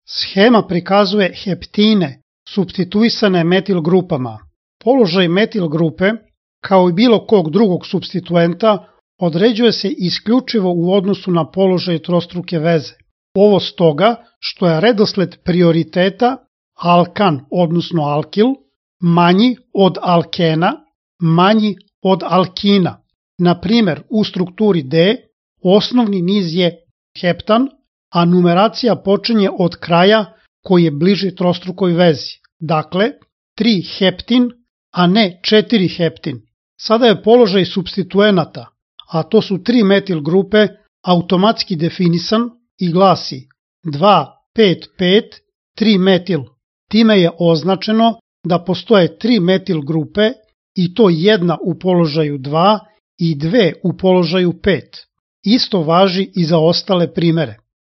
Shema prikazuje heptine supstituisane metil grupama. Položaj metil grupe, kao i bilo kog drugog supstituenta, određuje se isključivo u odnosu na položaj trostruke veze. Ovo stoga što je redosled prioriteta alkan, odnosno alkil, manji od alkena, manji od alkina. Na primer, u strukturi D osnovni niz je heptan, a numeracija počinje od kraja koji je bliži trostrukoj vezi. Dakle, 3 heptin, a ne 4 heptin. Sada je položaj supstituenata, a to su 3 metil grupe, automatski definisan i glasi 2, 5, 5, 3 metil. Time je označeno da postoje 3 metil grupe i to jedna u položaju 2 i 2 u položaju 5. Isto važi i za ostale primere.